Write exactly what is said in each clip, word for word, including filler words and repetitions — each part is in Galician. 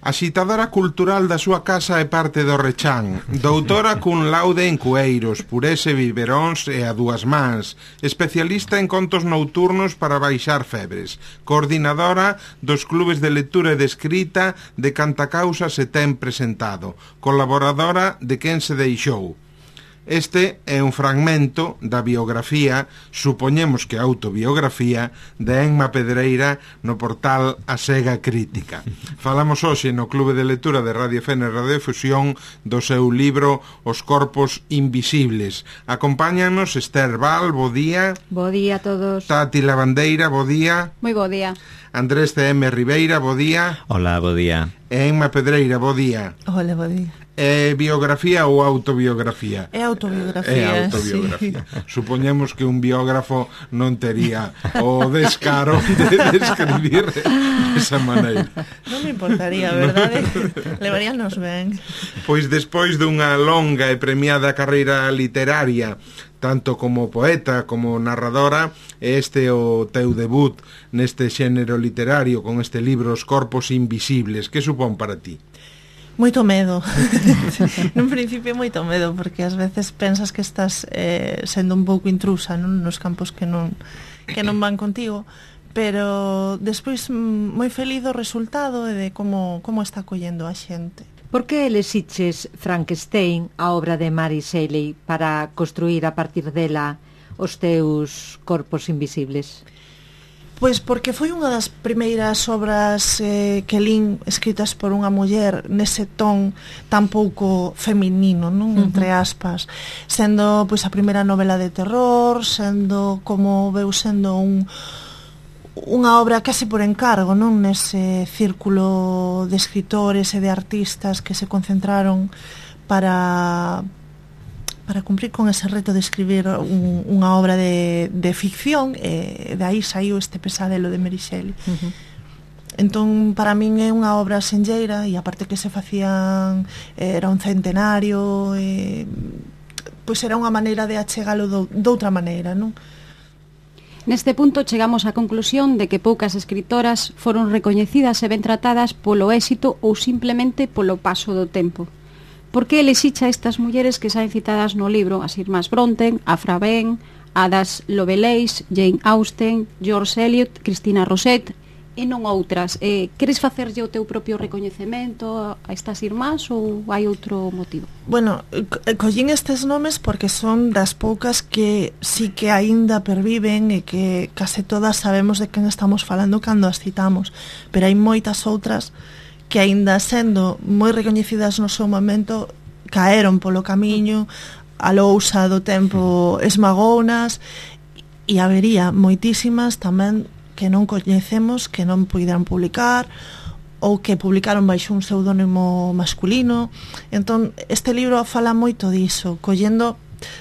Axitadora cultural da súa casa e parte do Rechán, doutora cun laude en cueiros, purés e biberóns e a dúas mans, especialista en contos nocturnos para baixar febres, coordinadora dos clubes de lectura e de escrita de Cantacausa se ten presentado, colaboradora de Quen se deixou. Este é un fragmento da biografía, supoñemos que autobiografía, de Emma Pedreira no portal A Sega Crítica. Falamos hoxe no Clube de Lectura de Radio Fene Radiofusión do seu libro Os Corpos Invisibles. Acompáñanos Esther Val, bo día. Bo día a todos. Tati Lavandeira, bo día. Moi bo día. Andrés C M Ribeira, bo día. Hola, bo día. E Emma Pedreira, bo día. Hola, bo día. É biografía ou autobiografía? É autobiografía, É autobiografía. Sí. Supoñemos que un biógrafo non tería o descaro de, de escribir desa maneira. Non me importaría, verdade? Levaríanos ben. Pois despois dunha longa e premiada carreira literaria, tanto como poeta como narradora, este é o teu debut neste xénero literario con este libro Os Corpos Invisibles. Que supón para ti? Moito medo. Nun principio moito medo, porque ás veces pensas que estás eh, sendo un pouco intrusa, non, nos campos que non que non van contigo, pero despois moi feliz do resultado e de como como está collendo a xente. Por que elexiches Frankenstein, a obra de Mary Shelley, para construir a partir dela os teus corpos invisibles? Pois porque foi unha das primeiras obras eh, que lín escritas por unha muller nese ton tan pouco feminino, non? Uh-huh. Entre aspas, sendo pois a primeira novela de terror, sendo como veu sendo un unha obra case por encargo, non? Nese círculo de escritores e de artistas que se concentraron para para cumprir con ese reto de escribir un, unha obra de, de ficción, e de aí saiu este pesadelo de Mary Shelley. Uh-huh. Entón, para min é unha obra senlleira, e aparte que se facían, era un centenario, e, pois era unha maneira de achegalo do, doutra maneira, non? Neste punto chegamos á conclusión de que poucas escritoras foron recoñecidas e ben tratadas polo éxito ou simplemente polo paso do tempo. Por que elixicha estas mulleres que saen citadas no libro, as irmás Bronte, Afra Ben, Ada Lovelace, Jane Austen, George Eliot, Cristina Rosset e non outras? Eh, queres facerlle o teu propio recoñecemento a estas irmás ou hai outro motivo? Bueno, collín estes nomes porque son das poucas que sí que aínda perviven e que case todas sabemos de quen estamos falando cando as citamos, pero hai moitas outras que aínda sendo moi recoñecidas no seu momento caeron polo camiño, a lousa do tempo esmagounas, e habería moitísimas tamén que non coñecemos, que non puideran publicar ou que publicaron baixo un pseudónimo masculino. Entón, este libro fala moito diso, collendo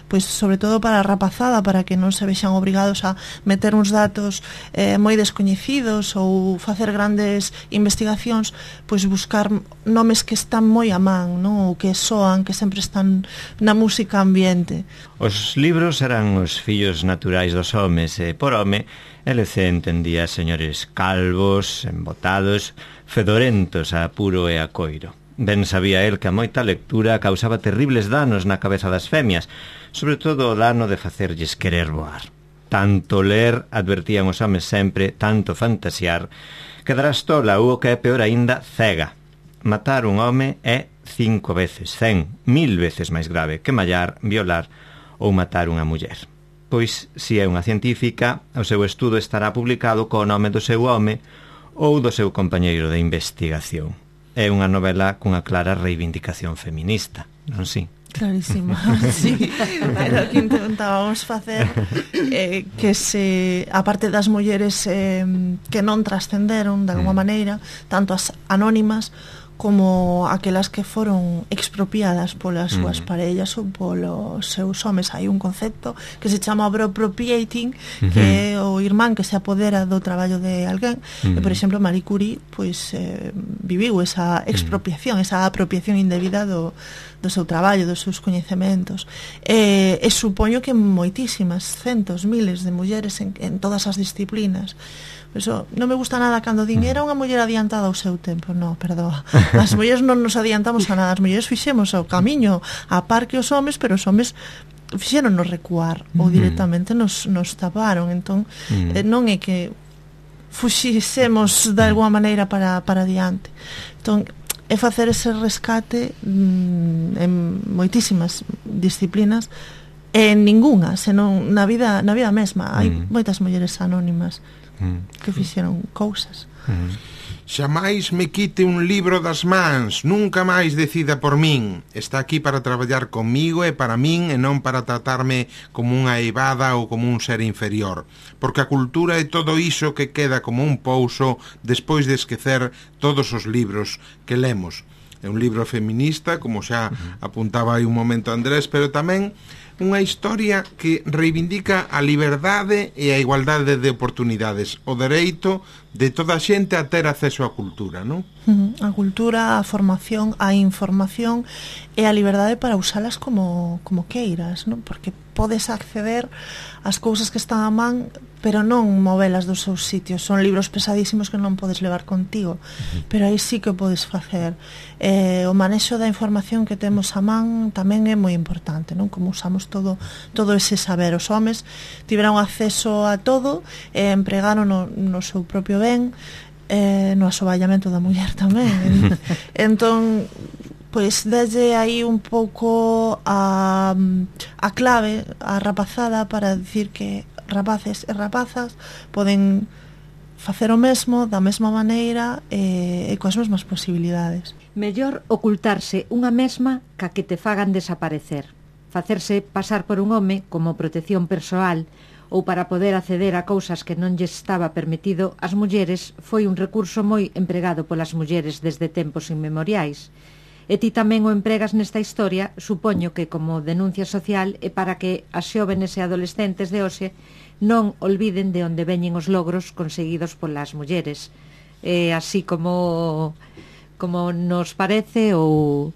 pois sobre todo para a rapazada, para que non se vexan obrigados a meter uns datos eh, moi descoñecidos ou facer grandes investigacións, pois buscar nomes que están moi a man, non? Ou que soan, que sempre están na música ambiente. Os libros eran os fillos naturais dos homes, e por home L C entendía señores calvos, embotados, fedorentos a puro e a coiro. Ben sabía el que a moita lectura causaba terribles danos na cabeza das femias, sobre todo o dano de facerlles querer voar. Tanto ler, advertían os homes sempre, tanto fantasear, quedarás tola ou, o que é peor aínda, cega. Matar un home é cinco veces, cen, mil veces máis grave que mallar, violar ou matar unha muller. Pois, se é unha científica, o seu estudo estará publicado co nome do seu home ou do seu compañeiro de investigación. É unha novela cunha clara reivindicación feminista, non si? Clarísima, sí. Pero que intentábamos facer eh, que se, a parte das mulleres eh, que non trascenderon de alguma maneira, tanto as anónimas como aquelas que foron expropiadas polas súas mm. parellas ou polos seus homes. Hai un concepto que se chama bro-appropriating, mm-hmm. que é o irmán que se apodera do traballo de alguén. Mm. E, por exemplo, Marie Curie pois, eh, viviu esa expropiación, mm. esa apropiación indebida do, do seu traballo, dos seus coñecementos. E, e supoño que moitísimas, centos, miles de mulleres en, en todas as disciplinas Eso non me gusta nada cando din era unha muller adiantada ao seu tempo. No, perdoa. As mulleres non nos adiantamos a nada. As mulleres fixemos o camiño a par que os homes, pero os homes fixeron nos recuar ou directamente nos, nos taparon. Entón, eh, non é que fuxisemos de alguma maneira para, para adiante. Entón, é facer ese rescate mm, en moitísimas disciplinas, e en ningunha, senón na vida, na vida mesma. Hai mm. moitas mulleres anónimas que fixeron cousas. Xamais me quite un libro das mans, nunca máis decida por min. Está aquí para traballar comigo e para min, e non para tratarme como unha eivada ou como un ser inferior, porque a cultura é todo iso que queda como un pouso despois de esquecer todos os libros que lemos. É un libro feminista, como xa apuntaba aí un momento Andrés, pero tamén unha historia que reivindica a liberdade e a igualdade de oportunidades, o dereito de toda a xente a ter acceso á cultura, non? A cultura, a formación, a información e a liberdade para usalas como, como queiras, non? Porque podes acceder ás cousas que están a man, pero non movelas dos seus sitios. Son libros pesadísimos que non podes levar contigo, pero aí sí que podes facer. Eh, o manexo da información que temos a man tamén é moi importante, non? Como usamos todo todo ese saber. Os homes tiveron acceso a todo e empregaron no, no seu propio ben, eh, no asoballamento da muller tamén. Entón, pois desde aí un pouco a, a clave, a rapazada, para dicir que rapaces e rapazas poden facer o mesmo da mesma maneira e, e coas mesmas posibilidades. Mellor ocultarse unha mesma ca que te fagan desaparecer. Facerse pasar por un home como protección persoal ou para poder acceder a cousas que non lles estaba permitido ás mulleres foi un recurso moi empregado polas mulleres desde tempos inmemoriais. E ti tamén o empregas nesta historia, supoño que como denuncia social e para que as xóvenes e adolescentes de hoxe non olviden de onde veñen os logros conseguidos polas mulleres. E así como como nos parece ou...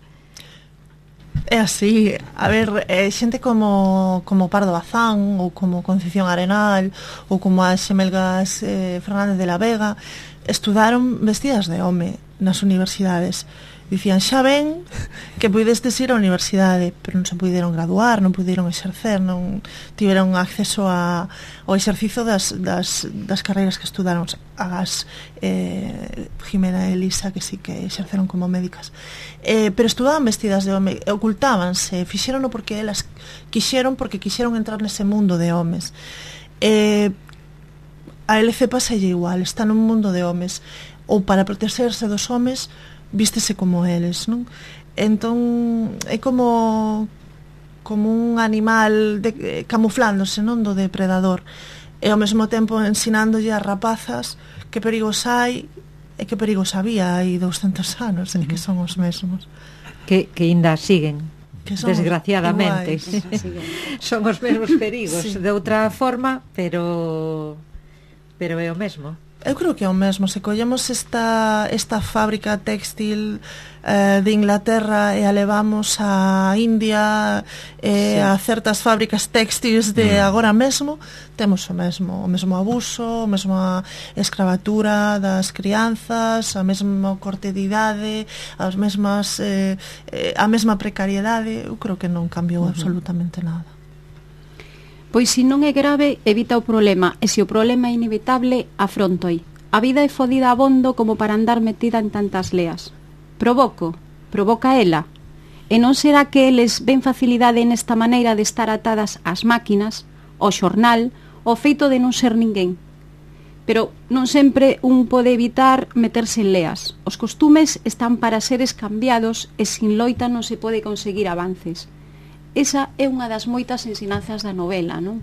É así, a ver, é xente como, como Pardo Bazán ou como Concepción Arenal ou como as xemelgas eh, Fernández de la Vega estudaron vestidas de home nas universidades. Dicían, xa ven que puidestes ir á universidade, pero non se puideron graduar, non puideron exercer, non tiveron acceso a, ao exercicio das, das, das carreiras que estudaron. As eh, Jimena e Elisa, que sí que exerceron como médicas, eh, pero estudaban vestidas de home, ocultábanse, fixerono porque elas quixeron, porque quixeron entrar nese mundo de homes. Eh, a L C pasalle igual, está nun mundo de homes, ou para protegerse dos homes vístese como eles, non? Entón é como como un animal de, camuflándose, non, do depredador, e ao mesmo tempo ensinándolle as rapazas que perigos hai e que perigos había hai douscentos anos, e que son os mesmos que, que ainda siguen, desgraciadamente iguais. Son os mesmos perigos, sí. De outra forma, pero pero é o mesmo. Eu creo que é o mesmo. Se collemos esta, esta fábrica textil eh, de Inglaterra e a levamos a India e sí. A certas fábricas textiles de mm. agora mesmo, temos o mesmo, o mesmo abuso, a mesma escravatura das crianzas, a mesma corte de idade, as mesmas eh, eh, a mesma precariedade. Eu creo que non cambiou uh-huh. absolutamente nada. Pois se non é grave, evita o problema, e se o problema é inevitable, afrontoi. A vida é fodida abondo como para andar metida en tantas leas. Provoco, provoca ela. E non será que eles ven facilidade nesta maneira de estar atadas ás máquinas, ao xornal, ao feito de non ser ninguén. Pero non sempre un pode evitar meterse en leas. Os costumes están para seres cambiados e sin loita non se pode conseguir avances. Esa é unha das moitas ensinanzas da novela, non?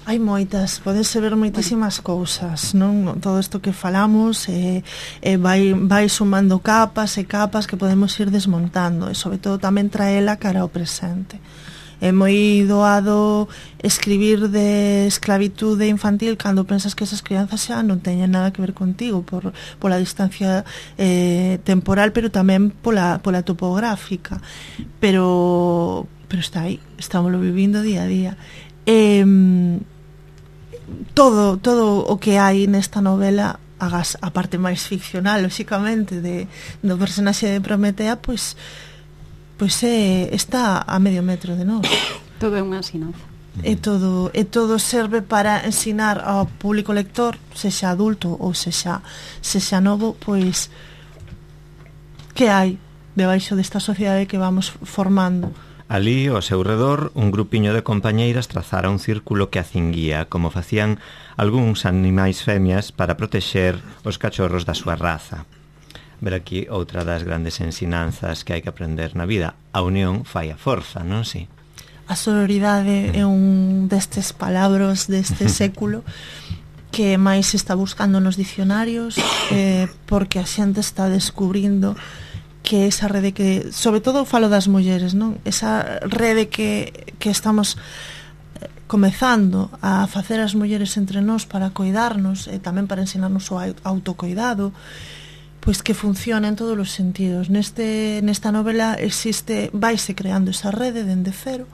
Hai moitas, podense ver moitísimas cousas, non? Todo isto que falamos e, e vai, vai sumando capas e capas que podemos ir desmontando, e sobre todo tamén traela cara ao presente. É moi doado escribir de esclavitude infantil cando pensas que esas crianzas xa non teñen nada que ver contigo por, pola distancia eh, temporal, pero tamén pola, pola topográfica, pero pero está aí, estámoslo vivindo día a día. E, todo todo o que hai nesta novela, agas a parte máis ficcional, lóxicamente, de, do personaxe de Prometea, pois pois é, está a medio metro de nós. Todo é unha ensinanza. E todo, e todo serve para ensinar ao público lector, sexa adulto ou sexa, sexa novo, pois que hai debaixo desta sociedade que vamos formando. Alí, ao seu redor, un grupiño de compañeiras trazara un círculo que a cinguía, como facían algúns animais femias para protexer os cachorros da súa raza. Ver aquí outra das grandes ensinanzas que hai que aprender na vida. A unión fai a forza, non si? A sororidade é un destes palabras deste século que máis se está buscando nos dicionarios, eh, porque a xente está descubrindo que esa rede que, sobre todo falo das mulleres, non? Esa rede que, que estamos comezando a facer as mulleres entre nós para coidarnos e tamén para ensinarnos o autocoidado, pois que funciona en todos os sentidos. Neste, nesta novela existe, vaise creando esa rede dende cero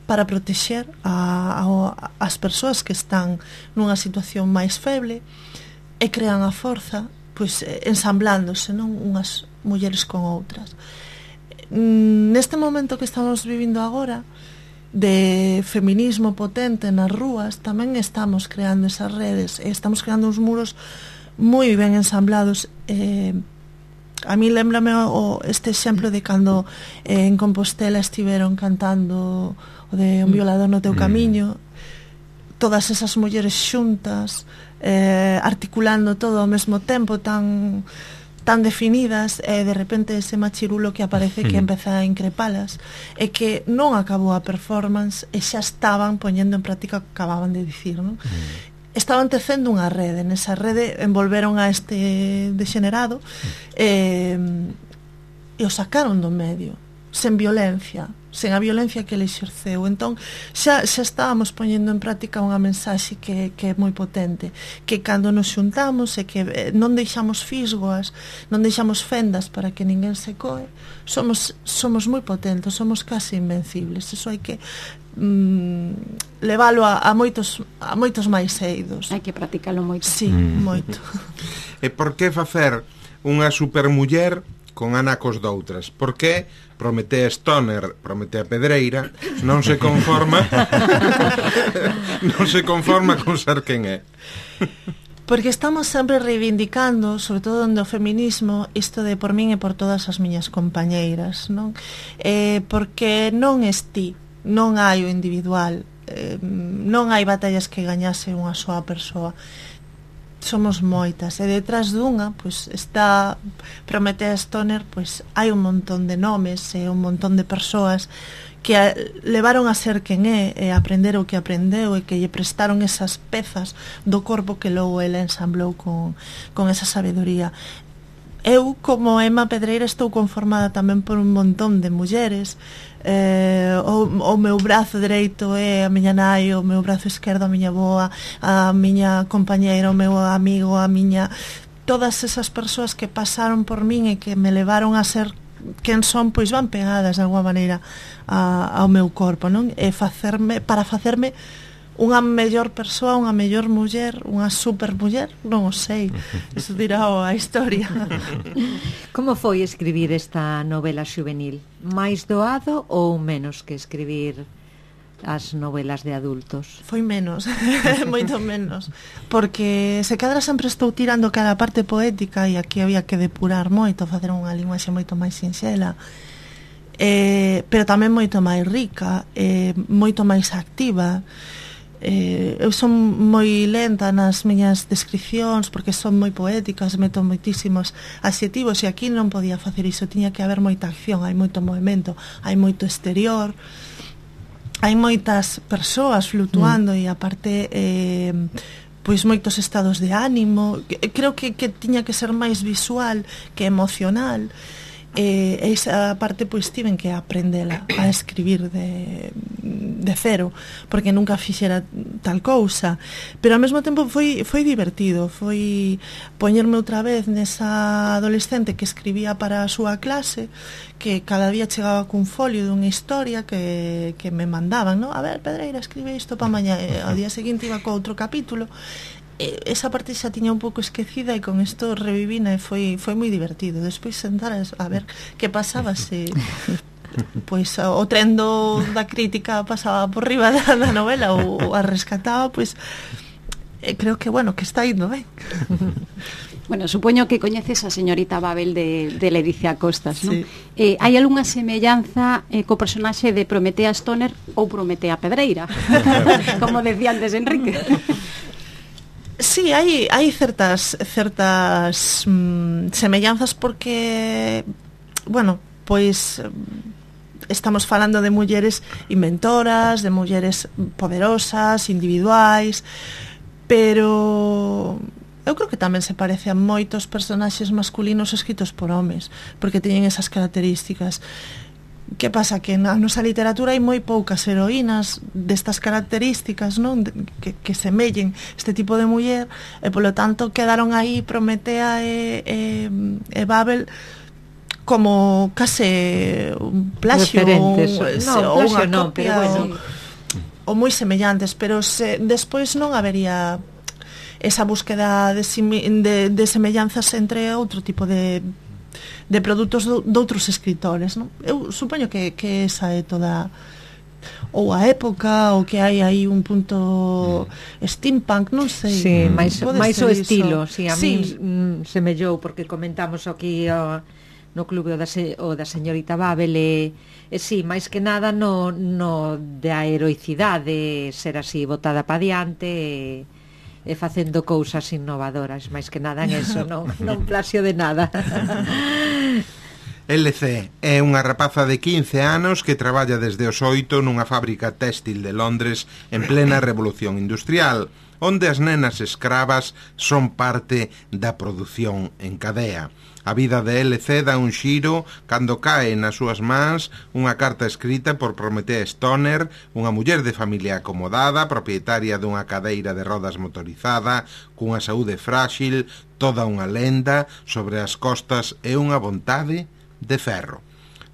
para protexer a, a, as persoas que están nunha situación máis feble e crean a forza, pois ensamblándose, non, unhas mulleres con outras. Neste momento que estamos vivindo agora de feminismo potente nas rúas, tamén estamos creando esas redes e estamos creando uns muros moi ben ensamblados. eh, a mí lembrame o, este exemplo de cando eh, en Compostela estiveron cantando o de Un violador no teu camiño, todas esas mulleres xuntas, eh, articulando todo ao mesmo tempo, tan tan definidas, e de repente ese machirulo que aparece que empeza a increpalas, e que non acabou a performance e xa estaban poñendo en práctica o que acababan de dicir, non? Estaban tecendo unha rede, nesa rede envolveron a este degenerado e, e o sacaron do medio, sen violencia, sen a violencia que ele exerceu. Entón, xa, xa estábamos poñendo en práctica unha mensaxe que, que é moi potente, que cando nos xuntamos e que eh, non deixamos fisgoas, non deixamos fendas para que ninguén se coe, somos, somos moi potentes, somos casi invencibles. Eso hai que mm, leválo a, a moitos a moitos máis eidos. Hai que practicalo moito. Sí, mm. moito. E por que facer unha supermuller con anacos doutras? Por que Prometea Stoner, Prometea Pedreira, non se conforma non se conforma con ser quen é? Porque estamos sempre reivindicando, sobre todo no feminismo, isto de por min e por todas as miñas compañeiras, non? Eh, porque non es ti, non hai o individual, eh, non hai batallas que gañase unha soa persoa. Somos moitas, e detrás dunha pois está Prometea Stoner, pois hai un montón de nomes e un montón de persoas que a, levaron a ser quen é e aprender o que aprendeu e que lle prestaron esas pezas do corpo que logo ela ensamblou con, con esa sabedoría. Eu, como Emma Pedreira, estou conformada tamén por un montón de mulleres. Eh, o, o meu brazo dereito é a miña nai, o meu brazo esquerdo a miña boa, a miña compañeira, o meu amigo, a miña... Todas esas persoas que pasaron por min e que me levaron a ser quen son, pois van pegadas de alguma maneira a, ao meu corpo, non? E facerme, para facerme unha mellor persoa, unha mellor muller, unha supermuller, non o sei, iso dirá a historia. Como foi escribir esta novela xuvenil? Mais doado ou menos que escribir as novelas de adultos? Foi menos, moito menos, porque se cadra sempre estou tirando cada parte poética e aquí había que depurar moito, facer unha linguaxe moito máis sinxela, eh, pero tamén moito máis rica, eh, moito máis activa. Eh, eu son moi lenta nas miñas descripcións porque son moi poéticas, meto moitísimos adxetivos e aquí non podía facer iso, tiña que haber moita acción, hai moito movimento, hai moito exterior, hai moitas persoas flutuando mm. e aparte eh, pois moitos estados de ánimo. Creo que, que tiña que ser máis visual que emocional. e esa parte pois tiven que aprendela a escribir de, de cero, porque nunca fixera tal cousa, pero ao mesmo tempo foi, foi divertido, foi poñerme outra vez nesa adolescente que escribía para a súa clase, que cada día chegaba cun folio dunha historia que, que me mandaban, ¿no? A ver, Pedreira, escribe isto para mañá, e ao día seguinte iba co outro capítulo. Esa parte xa tiña un pouco esquecida e con isto revivina e foi, foi moi divertido. Despois sentar a ver que pasaba se pois o tren do, da crítica pasaba por riba da, da novela ou a rescataba, pois eh, creo que, bueno, que está indo ben. Bueno, supoño que coñeces a señorita Babel de, de Ledicia Costas, non? Sí. Eh, hai algunha semellanza eh, co personaxe de Prometea Stoner ou Prometea Pedreira? Como decía antes Enrique. Sí, hai, hai certas certas mm, semellanzas porque, bueno, pois estamos falando de mulleres inventoras, de mulleres poderosas, individuais, pero eu creo que tamén se parece a moitos personaxes masculinos escritos por homes, porque teñen esas características. Que pasa? Que na nosa literatura hai moi poucas heroínas destas características, non? Que, que semellen este tipo de muller, e polo tanto quedaron aí Prometea e, e, e Babel como case un plagio ou, no, ou plagio unha non, copia, pero bueno, ou moi semellantes, pero se, despois non habería esa búsqueda de, de, de semellanzas entre outro tipo de de produtos do, de outros escritores, non? Eu supoño que, que esa é toda ou a época, ou que hai aí un punto mm. steampunk, non sei. Sí, máis, máis o estilo, si, sí, a sí. min mm, semellou, porque comentamos aquí o, no clube o da, se, o da señorita Babel e, e si, sí, máis que nada no, no da heroicidade, ser así botada pa diante e e facendo cousas innovadoras, máis que nada en eso, non, non plasio de nada. L C é unha rapaza de quince anos que traballa desde os oito nunha fábrica téxtil de Londres en plena revolución industrial, onde as nenas escravas son parte da produción en cadea. A vida de L C dá un xiro cando cae nas súas mans unha carta escrita por Prometea Stoner, unha muller de familia acomodada, propietaria dunha cadeira de rodas motorizada, cunha saúde frágil, toda unha lenda sobre as costas e unha vontade de ferro.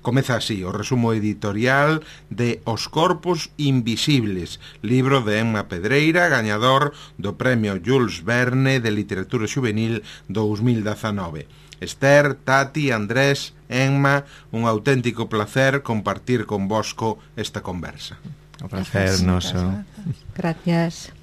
Comeza así o resumo editorial de Os corpos invisibles, libro de Emma Pedreira, gañador do Premio Jules Verne de Literatura Xuvenil dous mil dezanove. Esther, Tati, Andrés, Emma, un auténtico placer compartir con vosco esta conversa. O placer noso. Gracias.